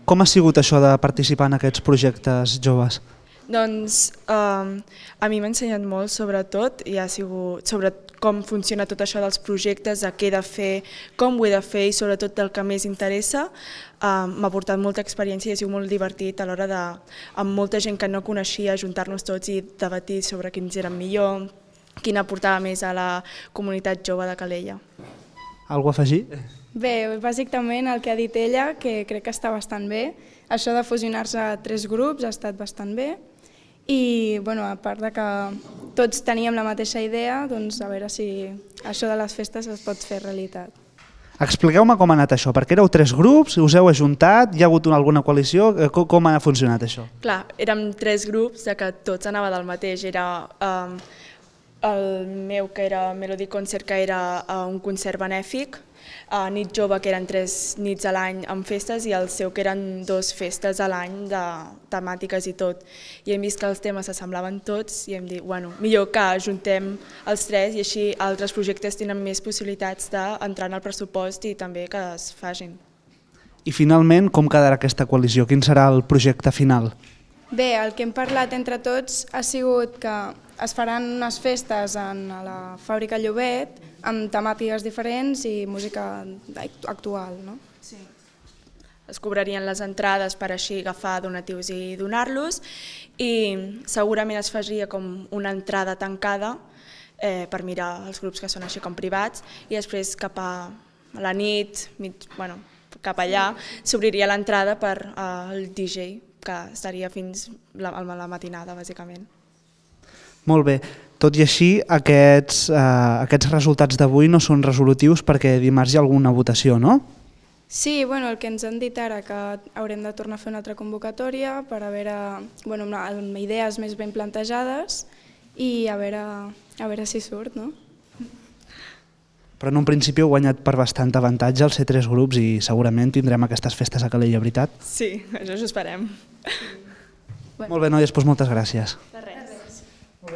Com ha sigut això de participar en aquests projectes joves? Doncs a mi m'ha ensenyat molt, sobretot, i ha sigut sobre com funciona tot això dels projectes, a què he de fer, com ho he de fer i sobretot del que més interessa. M'ha portat molta experiència i ha sigut molt divertit a l'hora de, amb molta gent que no coneixia, ajuntar-nos tots i debatir sobre quins eren millor, quin aportava més a la comunitat jove de Calella. Algo a afegir? Bé, bàsicament el que ha dit ella, que crec que està bastant bé. Això de fusionar-se a 3 grups ha estat bastant bé. I a part de que tots teníem la mateixa idea, doncs a veure si això de les festes es pot fer realitat. Expliqueu-me com ha anat això, perquè éreu 3 grups, us heu ajuntat, hi ha hagut alguna coalició, com ha funcionat això? Clar, érem 3 grups, que tots anava del mateix. Era el meu, que era Melody Concert, que era un concert benèfic, Nit Jove, que eren 3 nits a l'any amb festes, i el seu, que eren 2 festes a l'any de temàtiques i tot. I hem vist que els temes s'assemblaven tots i hem dit, bueno, millor que ajuntem els 3 i així altres projectes tenen més possibilitats d'entrar en el pressupost i també que es facin. I finalment, com quedarà aquesta coalició? Quin serà el projecte final? Bé, el que hem parlat entre tots ha sigut que es faran unes festes a la Fàbrica Llobet amb temàtiques diferents i música actual, no? Sí. Es cobrarien les entrades per així agafar donatius i donar-los i segurament es faria com una entrada tancada per mirar els grups que són així com privats i després cap a la nit, cap allà, s'obriria l'entrada per al DJ, que estaria fins a la matinada, bàsicament. Molt bé. Tot i així, aquests resultats d'avui no són resolutius perquè dimarts hi ha alguna votació, no? Sí, el que ens han dit ara que haurem de tornar a fer una altra convocatòria per a veure, amb idees més ben plantejades i a veure si surt, no? Però en un principi heu guanyat per bastant avantatge al ser 3 grups i segurament tindrem aquestes festes a Calella, veritat? Sí, això ho esperem. Molt bé, noies, doncs moltes gràcies.